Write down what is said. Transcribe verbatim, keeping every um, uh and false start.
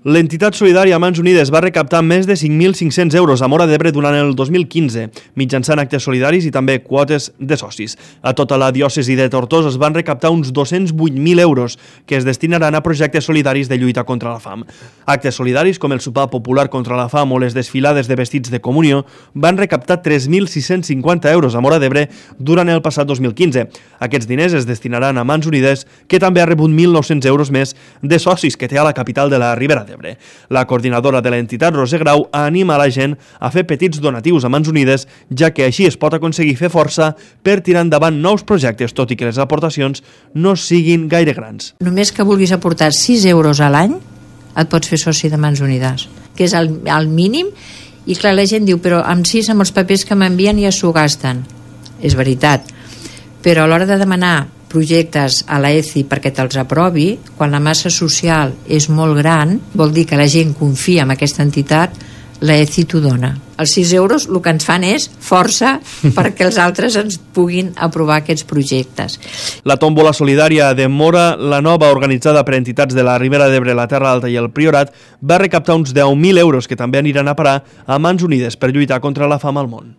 L'entitat solidària Mans Unides va recaptar més de cinc mil cinc-cents euros a Móra d'Ebre durant el dos mil quinze, mitjançant actes solidaris i també quotes de socis. A tota la diòcesi de Tortosa es van recaptar uns dos-cents vuit mil euros que es destinaran a projectes solidaris de lluita contra la fam. Actes solidaris com el sopar popular contra la fam o les desfilades de vestits de comunió van recaptar tres mil sis-cents cinquanta euros a Móra d'Ebre durant el passat dos mil quinze. Aquests diners es destinaran a Mans Unides, que també ha rebut mil nou-cents euros més de socis que té a la capital de la Ribera d'Ebre. La coordinadora de l'entitat, Roser Grau, anima a la gent a fer petits donatius a Mans Unides, ja que així es pot aconseguir fer força per tirar endavant nous projectes, tot i que les aportacions no siguin gaire grans. Només que vulguis aportar sis euros a l'any et pots fer soci de Mans Unides, que és el, el mínim, i clar, la gent diu, però amb sis, amb els papers que m'envien ja s'ho gasten. És veritat, però a l'hora de demanar projectes a l'E C I perquè te'ls aprovi, quan la massa social és molt gran, vol dir que la gent confia en aquesta entitat, l'E C I t'ho dona. Els sis euros el que ens fan és força perquè els altres ens puguin aprovar aquests projectes. La tòmbola solidària de Móra la Nova, organitzada per entitats de la Ribera d'Ebre, la Terra Alta i el Priorat, va recaptar uns deu mil euros que també aniran a parar a Mans Unides per lluitar contra la fam al món.